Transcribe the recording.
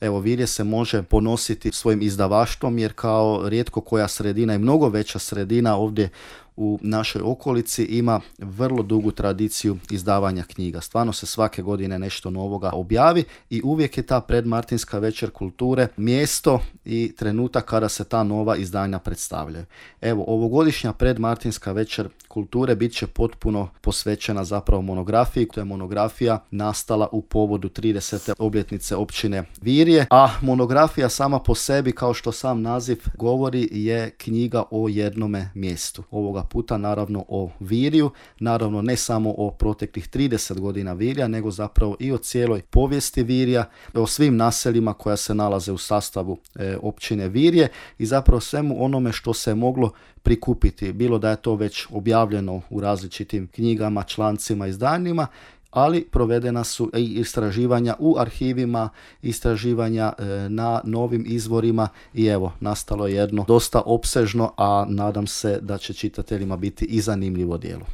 Evo, Virje se može ponositi svojim izdavaštvom jer kao rijetko koja sredina i mnogo veća sredina ovdje u našoj okolici ima vrlo dugu tradiciju izdavanja knjiga. Stvarno se svake godine nešto novoga objavi i uvijek je ta predmartinska večer kulture mjesto i trenutak kada se ta nova izdanja predstavljaju. Evo, ovogodišnja predmartinska večer kulture bit će potpuno posvećena zapravo monografiji. To je monografija nastala u povodu 30. obljetnice općine Virje, a monografija sama po sebi, kao što sam naziv govori, je knjiga o jednome mjestu. Ovoga puta naravno o Virju, naravno ne samo o proteklih 30 godina Virja, nego zapravo i o cijeloj povijesti Virja, o svim naseljima koja se nalaze u sastavu općine Virje i zapravo svemu onome što se je moglo prikupiti, bilo da je to već objavljeno u različitim knjigama, člancima, izdanjima, ali provedena su i istraživanja u arhivima, istraživanja na novim izvorima i evo, nastalo je jedno dosta opsežno, a nadam se da će čitateljima biti i zanimljivo djelo.